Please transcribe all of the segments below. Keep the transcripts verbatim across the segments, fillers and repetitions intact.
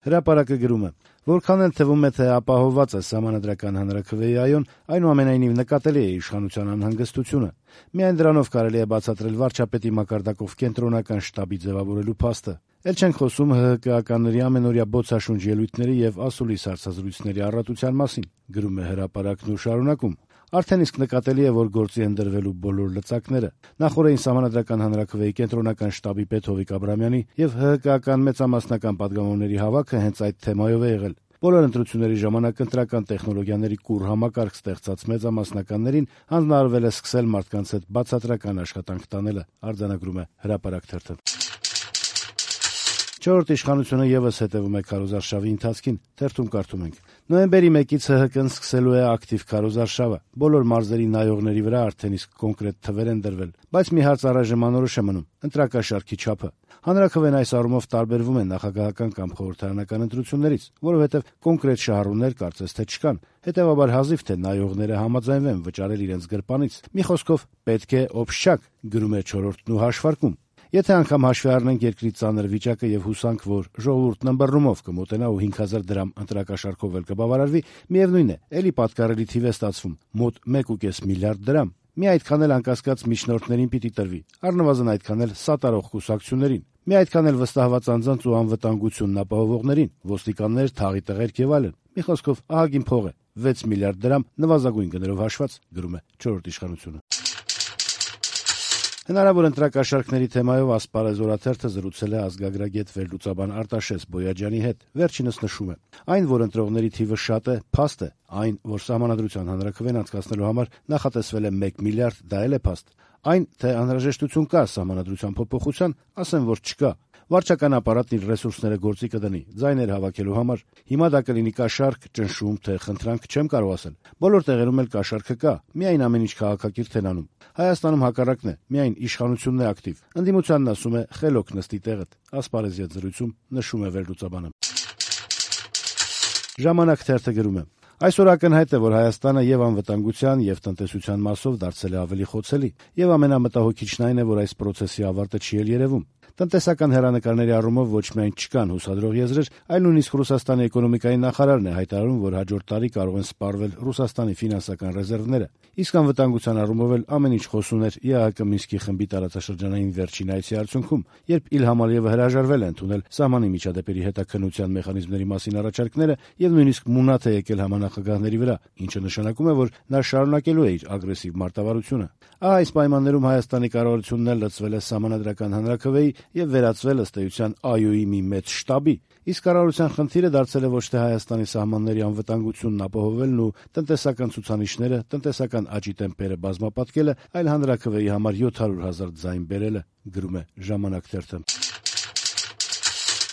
Հրապարակը գրում է. «Որքան էլ թվում է, թե ապահովված է սահմանադրական հանրաքվեի այոն, այնուամենայնիվ նկատելի է իշխանության անհանգստությունը։ Միայն դրանով կարելի է բացատրել վարչապետի մակարդակով կենտրոնական շտաբի ձևավորելու փաստը։ Էլ չենք խոսում ՀՀԿ-ականների ամենօրյա բոցաշունչ ելույթների եւ ասուլիս հարցազրույցների առատության մասին», գրում է հրապարակն ու շարունակում. «Արդեն իսկ նկատելի է, որ գործի են դրվելու բոլոր լծակները։ Նախորդին սահմանադրական հանրաքվեի կենտրոնական շտաբի պետ Հովիկ Աբրամյանի եւ ՀՀԿ-ական մեծամասնական պատգամավորների հավաքը հենց այդ թեմայով է եղել։ Բոլոր ընտրությունների ժամանակ ընտրական տեխնոլոգիաների կուռ համակարգ ստեղծած մեծամասնականներին հանձնարարվել է սկսել մարդկանց հետ բացատրական աշխատանք տանելը», արձանագրում է հրապարակ թերթը։ «Չորրորդ իշխանությունը եւս հետեւում է քարոզարշավի ընթացքին», թերթում կարդում ենք. «Նոյեմբերի մեկից ՀՀԿ-ն սկսելու է ակտիվ քարոզարշավը։ Բոլոր մարզերի նայողների վրա արդեն իսկ կոնկրետ թվեր են դրվել, բայց մի հարց առայժմ անորոշ է մնում՝ ընտրակաշառքի չափը։ Հանրաքվեն այս առումով տարբերվում է նախագահական կամ խորհրդարանական ընտրություններից, որովհետեւ կոնկրետ շահառուներ կարծես թե չկան, հետեւաբար հազիվ թե նայողները համաձայնվեն վճարել իրենց գրպանից։ Մի խոսքով պետք է օբշչակ», գրում է չորրորդն ու հաշվարկում. «Եթե անգամ հաշվի առնենք երկրի ծանր վիճակը եւ հուսանք, որ ժողովուրդն ըմբռնումով կմոտենա ու հինգ հազար դրամ ընտրակաշառքով էլ կբավարարվի, միեւնույն է, էլի պատկառելի թիվ է ստացվում՝ մոտ մեկ ու կես միլիարդ դրամ։ Մի այդքան էլ անկասկած միջնորդներին պիտի տրվի, առնվազն այդքան էլ սատարող կուսակցություններին, մի այդքան էլ վստահված անձանց ու անվտանգությունն ապահովողներին, ոստիկաններ, թաղի տղերք եւ այլն։ Մի խոսքով ահագին փող է, վեց միլիարդ դրամ նվազագույն գներով հաշված», գրում է չորրորդ իշխանությունը։ Հնարավոր ընտրակաշառքների թեմայով Ասպարեզ օրաթերթը զրուցել է ազգագրագետ վերլուծաբան Արտաշես Բոյաջյանի հետ։ Վերջինս նշում է. «Այն, որ ընտրողների թիվը շատ է, փաստ է։ Այն, որ սահմանադրության հանրաքվեն անցկացնելու համար նախատեսվել է մեկ միլիարդ, դա էլ է փաստ։ Այն, թե անհրաժեշտություն կա սահմանադրության փոփոխության, ասեմ, որ չկա։ Վարչական ապարատն իր ռեսուրսները գործի կդնի ձայներ հավաքելու համար։ Հիմա դա կլինի կաշառք, ճնշում, թե խնդրանք, չեմ կարող ասել։ Բոլոր տեղերում էլ կաշառքը կա, միայն ամեն ինչ քաղաքակիրթ են անում։ Հայաստանում հակառակն է, միայն իշխանությունն է ակտիվ։ Ընդդիմությանն ասում է խելոք նստի տեղդ», Ասպարեզի հետ զրույցում նշում է վերլուծաբանը։ Ժամանակ թերթը գրում է. «Այսօր ակնհայտ է, որ Հայաստանը եւ անվտանգության, եւ տնտեսության մասով դարձել է ավելի խոցելի, եւ ամենամտահոգիչն այն է, որ այս պրոցեսի ավարտը չի էլ երևում։ Տնտեսական հեռանկարների առումով ոչ միայն չկան հուսադրող եզրեր, այլ նույնիսկ Ռուսաստանի էկոնոմիկայի նախարարն է հայտարարում, որ հաջորդ տարի կարող են սպառվել Ռուսաստանի ֆինանսական ռեզերվները։ Իսկ անվտանգության առումով էլ ամեն ինչ խոսուն էր ԵԱՀԿ Մինսկի խմբի տարածաշրջանային վերջին այցի արդյունքում, երբ Իլհամ Ալիևը հրաժարվել է ընդունել սահմանի միջադեպերի հետաքննության մեխանիզմների մասին առաջարկները եւ նույնիսկ մունաթ է եկել համանախագահների վրա, ինչը նշանակում է, որ նա շարունակելու է իր ագրեսիվ մարտավարությունը։ Ահա այս պայմաններում Հայաստանի կառավարությունն էլ լծվել է սահմանադրական հանրաքվեի եւ վերածվել ըստ էության ԱՅՈ-ի մի մեծ շտաբի։ Իսկ կառավարության խնդիրը դարձել է ոչ թե Հայաստանի սահմանների անվտանգությունն ապահովելն ու տնտեսական ցուցանիշները, տնտեսական աճի տեմպերը բազմապատկելը, այլ հանրաքվեի համար յոթ հարյուր հազար ձայն բերելը, գրում է Ժամանակ թերթը։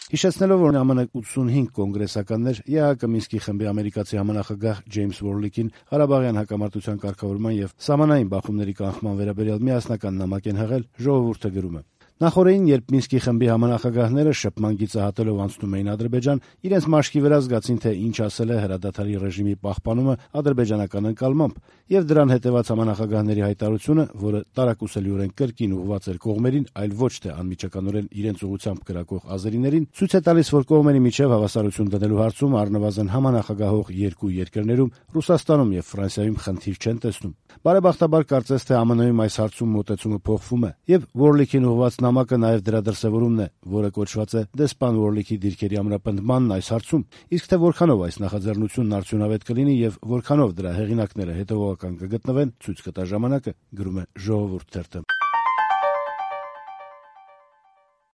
Հիշեցնելով, որ ԱՄՆ ութսունհինգ կոնգրեսականներ ԵԱՀԿ Մինսկի խմբի ամերիկացի համանախագահ Ջեյմս Վորլիկին Ղարաբաղյան հակամարտության կարգավորման եւ սահմանային բախումների կանխման վերաբերյալ միասնական նամակ են հղել, ժողովուրդը գրում է. Նախորդին, երբ Մինսկի խմբի համանախագահները շփման գիծահատելով անցնում էին Ադրբեջան, իրենց մաշկի վրա զգացին, թե ինչ ասել է հրադադարի ռեժիմի պահպանումը ադրբեջանական ընկալմամբ, եւ դրան հետեւած համանախագահների հայտարարությունը, որը տարակուսելիորեն կրկին ուղղված էր կողմերին, այլ ոչ թե անմիջականորեն իրենց ուղղությամբ կրակող ազերիներին, ցույց է տալիս, որ կողմերի միջև հավասարություն դնելու հարցում առնվազն համանախագահող երկու երկրներում՝ Ռուսաստանում եւ Ֆրանսիայում խնդիր չեն տեսնում։ Բարեբախտաբար կարծես թե ԱՄՆ-ում այս հարցում մոտեցումը փոխվում է, եւ Վորլիկին ուղղված նամակը նաեւ դրա դրսեւորումն է, որը կոչված է դեսպան Վորլիկի դիրքերի ամրապնդմանն այս հարցում, իսկ թե որքանով այս նախաձեռնությունն արդյունավետ կլինի եւ որքանով դրա հեղինակները հետեւողական կգտնվեն, ցույց կտա ժամանակը, գրում է Ժողովուրդ թերթը։